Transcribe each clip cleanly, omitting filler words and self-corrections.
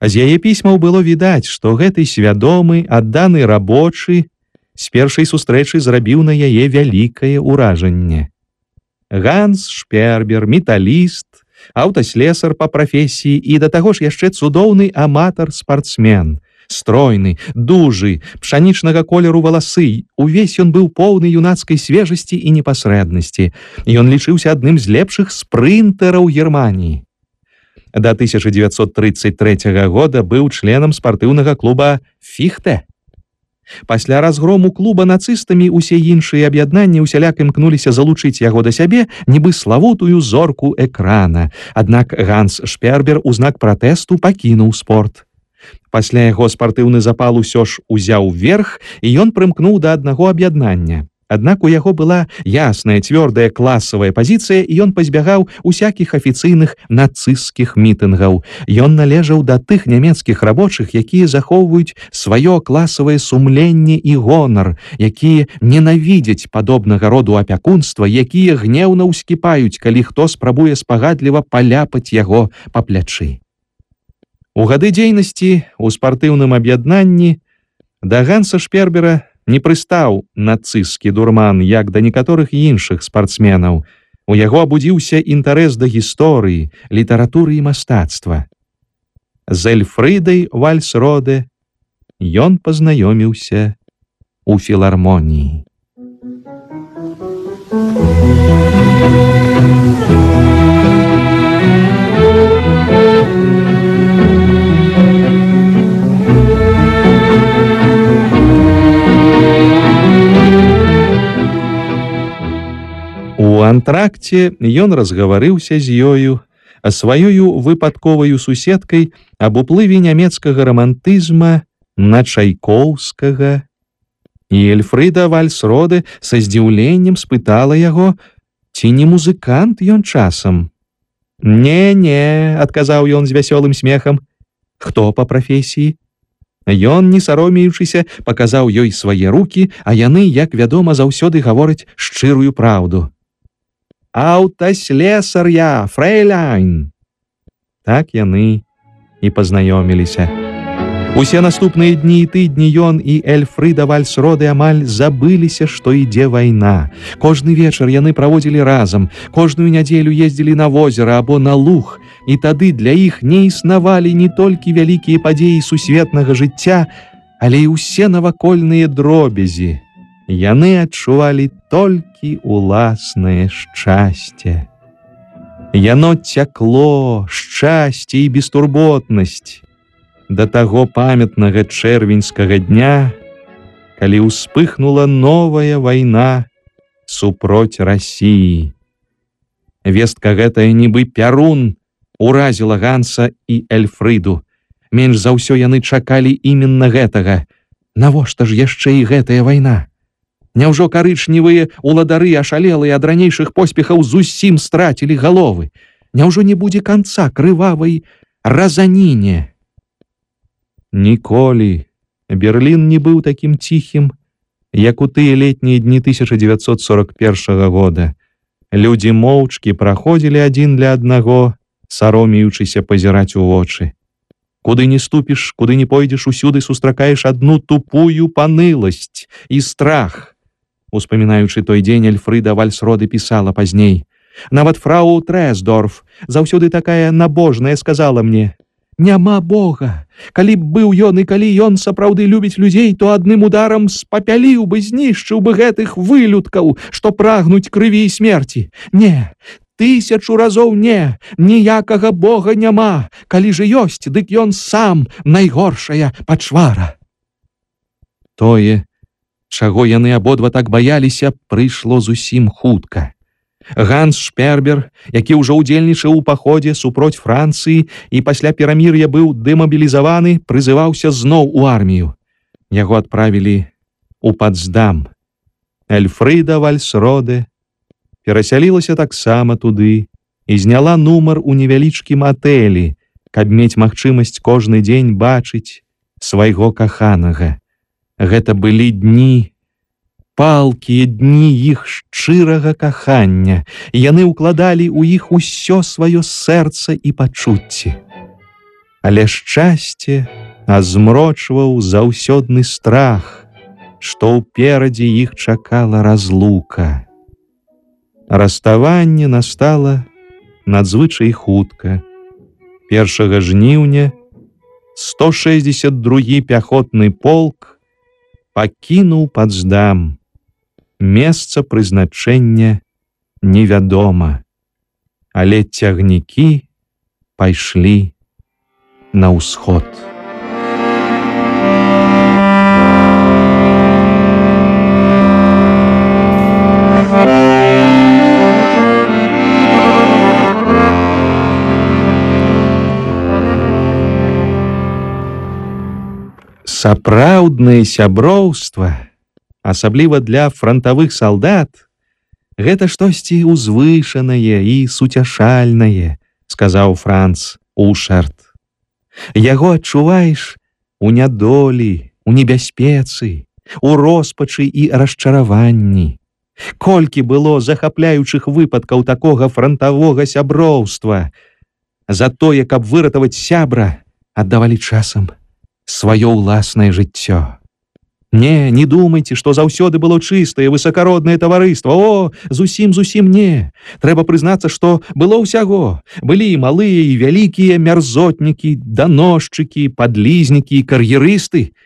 З яе пісьмаў было відаць, што гэты свядомы, адданы рабочы з першай сустрэчы зрабіў на яе вялікае ўражанне. Ганс Шпербер, металіст, аўтаслесар па прафесіі і да таго ж яшчэ цудоўны аматар-спартсмен. Стройны, дужы, пшанічнага колеру валасы, увесь ён быў поўны юнацкай свежасці і непасрэднасці. Ён лічыўся адным з лепшых спрынтэраў Германіі. Да 1933 года быў членам спартыўнага клуба «Фіхте». Пасля разгрому клуба нацыстамі усе іншыя аб'яднанні усяляк імкнуліся залучыць яго да сябе, нібы славутую зорку экрана. Аднак Ганс Шпербер у знак пратэсту пакінуў спорт. Пасля яго спартыўны запал усё ж узяў верх, і ён прымкнуў да аднаго аб'яднання. Аднак у яго была ясная, цвёрдая класавая пазіцыя, і ён пазбягаў усякіх афіцыйных нацысцкіх мітынгаў. Ён належаў да тых нямецкіх рабочых, якія захоўваюць сваё класавае сумленне і гонар, якія ненавідзяць падобнага роду апякунства, якія гнеўна ўскіпаюць, калі хто спрабуе спагадліва паляпаць яго па плячы. У гады дзейнасці ў спартыўным аб'яднанні да Ганса Шпербера не прыстаў нацысцкі дурман, як да некаторых іншых спартсменаў. У яго абудзіўся інтарэс да гісторыі, літаратуры і мастацтва. З Эльфрыдай Вальсроде ён пазнаёміўся у філармоніі. У антракце ён разгаварыўся з ёю, сваёю выпадковаю суседкай аб уплыве нямецкага рамантызма на Чайкоўскага. І Эльфрыда Вальсроде са здзіўленнем спытала яго, ці не музыкант ён часам. «Не-не», — адказаў ён з вясёлым смехам. «Хто па прафесіі?» Ён, не саромеючыся, паказаў ёй свае рукі, а яны, як вядома, заўсёды гавораць шчырую праўду. «Аўтаслесар я, фрэйляйн!» Так яны і пазнаёміліся. Усе наступныя дні і тыдні ён і Эльфрыда Вальсроде амаль забыліся, што ідзе вайна. Кожны вечар яны праводзілі разам, кожную нядзелю ездзілі на возера або на луг, і тады для іх не існавалі не толькі вялікія падзеі сусветнага жыцця, але і ўсе навакольныя дробязі. Яны адчувалі толькі уласнае шчасце. Яно цякло, шчасце і бестурботнасць да таго памятнага чэрвеньскага дня, калі ўспыхнула новая вайна супроць Расіі. Вестка гэтая нібы пярун уразіла Ганса і Эльфрыду. Менш за ўсё яны чакалі іменна гэтага. Навошта ж яшчэ і гэтая вайна? Няўжо карычневыя уладары ашалелыя ад ранейшых поспехаў зусім страцілі галовы? Няўжо не будзе канца крывавай разаніне? Ніколі Берлін не быў такім ціхім, як у тыя летнія дні 1941 года. Людзі моўчкі праходзілі адзін для аднаго, саромеючыся пазіраць у вочы. Куды не ступіш, куды не пойдзеш, усюды сустракаеш адну тупую паныласць і страх. Успамінаючы той дзень, Эльфрыда Вальсроде пісала пазней. Нават фрау Трэсдорф, заўсёды такая набожная, сказала мне: «Няма Бога. Калі б быў ён і калі ён сапраўды любіць людзей, то адным ударам спапяліў бы, знішчыў бы гэтых вылюдкаў, што прагнуць крыві і смерці. Не, 1000 разоў не, ніякага Бога няма. Калі ж ёсць, дык ён сам найгоршая пачвара». Тое, чаго яны абодва так баяліся, прыйшло зусім хутка. Ганс Шпербер, які ўжо ўдзельнічаў у паходзе супроць Францыі і пасля перамір'я быў дэмабілізаваны, прызываўся зноў у армію. Яго адправілі у Пацдам. Эльфрыда Вальсроде перасялілася таксама туды і зняла нумар у невялічкім атэлі, каб мець магчымасць кожны дзень бачыць свайго каханага. Гэта былі дні, палкія дні іх шчырага кахання, і яны ўкладалі ў іх усё сваё сэрца і пачуцці. Але шчасце азмрочваў заўсёдны страх, што ўперадзе іх чакала разлука. Раставанне настала надзвычай хутка. 1 жніўня 162 пяхотны полк пакінуў Пацдам. Месца прызначэння невядома, але цягнікі пайшлі на ўсход. Сапраўднае сяброўства, асабліва для франтавых салдат, гэта штосьці узвышанае і суцяшальнае, сказаў Франц Ушарт. Яго адчуваеш у нядолі, у небяспецы, у роспачы і расчараванні. Колькі было захапляючых выпадкаў такога франтавога сяброўства. За тое, каб выратаваць сябра, аддавалі часам сваё ўласнае жыццё. Не думайце, што заўсёды было чыстае, высакароднае таварыства. О, зусім не. Трэба прызнацца, што было ўсяго. Былі і малыя, і вялікія мярзотнікі, даносчыкі, падлізнікі, кар'ерысты.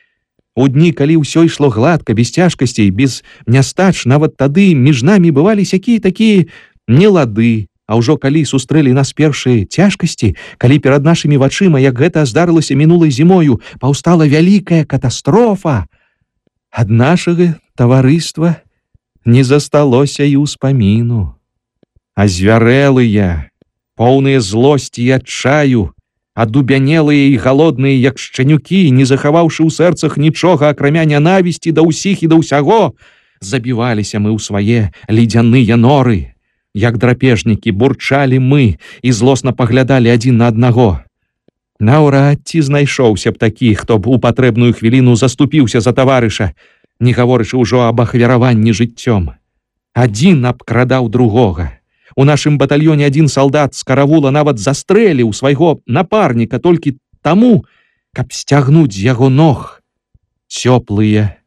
У дні, калі ўсё ішло гладка, без цяжкасцей, без нястач, нават тады між намі бывалі сякія-такія нелады. А ўжо калі сустрэлі нас першыя цяжкасці, калі перад нашымі вачыма, як гэта здарылася мінулай зімою, паўстала вялікая катастрофа, ад нашага таварыства не засталося і ўспаміну. А звярэлыя, поўныя злосці і адчаю, адубянелыя і галодныя, як шчанюкі, не захаваўшы ў сэрцах нічога, акрамя нянавісці да ўсіх і да ўсяго, забіваліся мы ў свае ледзяныя норы. Як драпежнікі бурчалі мы і злосна паглядалі адзін на аднаго. Наўрад ці знайшоўся б такі, хто б у патрэбную хвіліну заступіўся за таварыша, не гаворачы ўжо аб ахвяраванні жыццём. Адзін абкрадаў другога. У нашым батальёне адзін салдат з каравула нават застрэліў свайго напарніка толькі таму, каб сцягнуць з яго ног цёплыя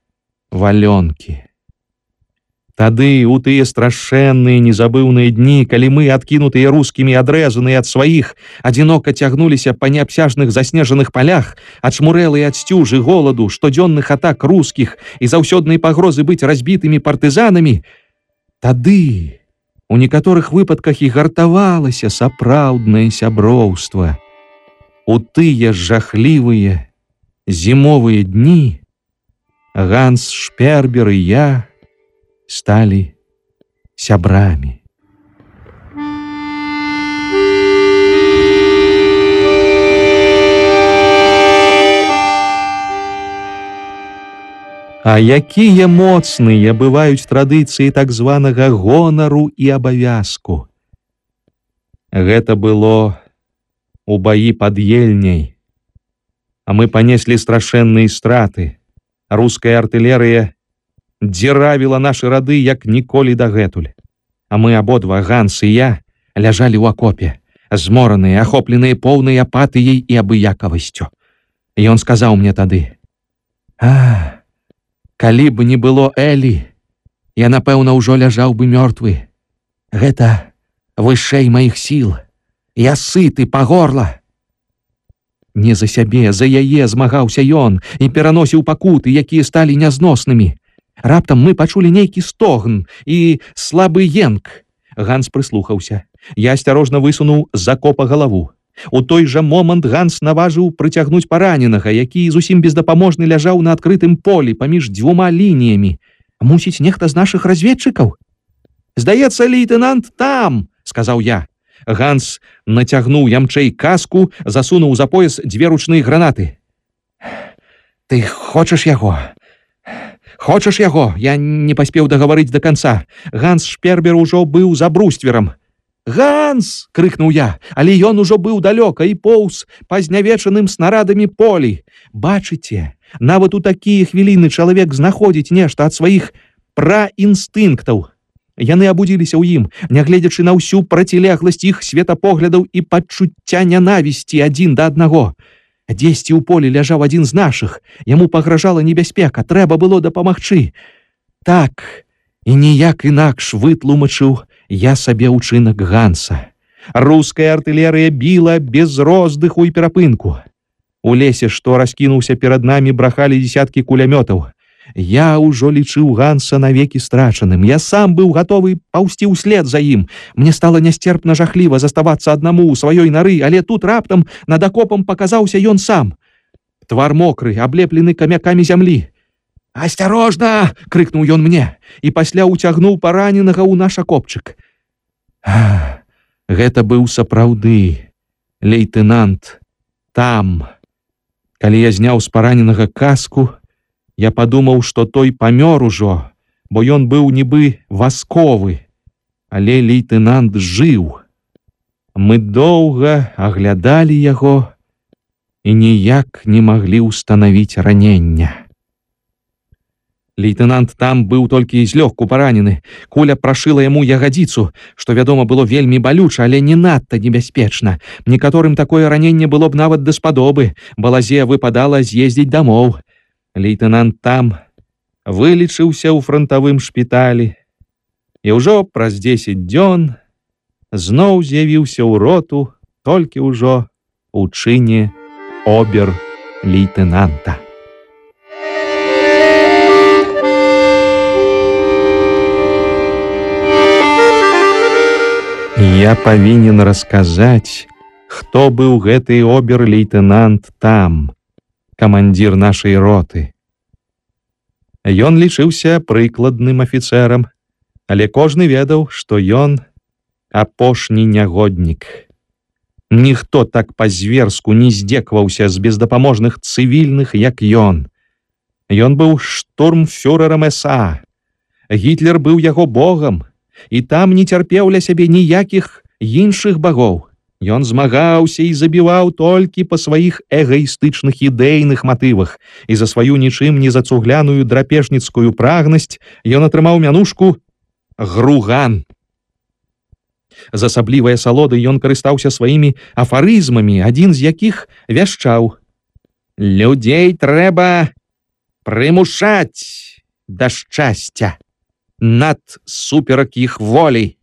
валёнкі. Тады, у тыя страшэнныя незабыўныя дні, калі мы, адкінутыя рускімі, адрэзаныя ад сваіх, адзінока цягнуліся па неабсяжных заснежаных палях, ачмурэлыя ад сцюжы, голаду, штодзённых атак рускіх і заўсёднай пагрозы быць разбітымі партызанамі, тады у некаторых выпадках і гартавалася сапраўднае сяброўства. У тыя жахлівыя зімовыя дні Ганс Шпербер і я сталі сябрамі. А якія моцныя бываюць традыцыі так званага гонару і абавязку. Гэта было у баі пад Ельняй, а мы панеслі страшэнныя страты. Руская артылерыя дзіравіла нашы рады, як ніколі дагэтуль. А мы абодва, Ганс і я, ляжалі ў акопе, змораныя, ахопленыя поўнай апатыяй і абыякавасцю. Ён сказаў мне тады: калі б не было Элі, я, напэўна, ўжо ляжаў бы мёртвы. Гэта вышэй маіх сіл. Я сыты па горла. Не за сябе, за яе змагаўся ён і пераносіў пакуты, якія сталі нязноснымі. Раптам мы пачулі нейкі стогн і слабы енк. Ганс прыслухаўся. Я асцярожна высунуў з акопа галаву. У той жа момант Ганс наважыў прыцягнуць параненага, які зусім бездапаможны ляжаў на адкрытым полі паміж дзвюма лініямі. Мусіць, нехта з нашых разведчыкаў? Здаецца, лейтенант там, сказаў я. Ганс нацягнуў ямчэй каску, засунуў за пояс дзве ручныя гранаты. Ты хочаш яго? Хочаш яго? Я не паспеў дагаварыць да канца. Ганс Шпербер ужо быў за брустверам. «Ганс!» — крыкнуў я, але ён ужо быў далёка і поўз па знявечаным снарадамі полі. Бачыце, нават у такія хвіліны чалавек знаходзіць нешта ад сваіх праінстынктаў. Яны абудзіліся ў ім, нягледзячы на ўсю процілегласць іх светапоглядаў і пачуцця нянавісці адзін да аднаго. Дзесьці ў полі ляжаў адзін з нашых. Яму пагражала небяспека, трэба было дапамагчы. Так, і ніяк інакш вытлумачыў я сабе ўчынак Ганса. Руская артылерыя біла без роздыху і перапынку. У лесе, што раскінуўся перад намі, брахалі дзесяткі кулямётаў. Я ўжо лічыў Ганса навекі страчаным. Я сам быў гатовы паўсці ўслед за ім. Мне стала нясцерпна жахліва заставацца аднаму ў сваёй нары, але тут раптам над акопам паказаўся ён сам. Твар мокры, аблеплены камякамі зямлі. «Асцярожна!» — крыкнуў ён мне і пасля ўцягнуў параненага ў наш акопчык. Гэта быў сапраўды лейтэнант Там. Калі я зняў з параненага каску, я падумаў, што той памёр ужо, бо ён быў нібы васковы, але лейтэнант жыў. Мы доўга аглядалі яго і ніяк не маглі ўстанавіць ранення. Лейтэнант Там быў толькі злёгку паранены. Куля прашыла яму ягадзіцу, што, вядома, было вельмі балюча, але не надта небяспечна. Некаторым такое раненне было б нават даспадобы. Балазе выпадала з'ездзіць дамоў. Лейтэнант Там вылечыўся ў франтавым шпіталі і ўжо праз 10 дзён зноў з'явіўся ў роту, толькі ўжо у чыне обер-лейтэнанта. Я павінен расказаць, хто быў гэты обер-лейтэнант Там, камандзір нашай роты. Ён лічыўся прыкладным афіцэрам, але кожны ведаў, што ён апошні нягоднік. Ніхто так па-зверску не здзекваўся з бездапаможных цывільных, як ён. Ён быў штурмфюрэрам СА. Гітлер быў яго богам, і Там не цярпеў ля сябе ніякіх іншых багоў. Ён змагаўся і забіваў толькі па сваіх эгаістычных ідэйных матывах, і за сваю нічым не зацугляную драпежніцкую прагнасць ён атрымаў мянушку Груган. З асаблівай асалодай ён карыстаўся сваімі афарызмамі, адзін з якіх вяшчаў: «Людзей трэба прымушаць да шчасця над суперак іх волі».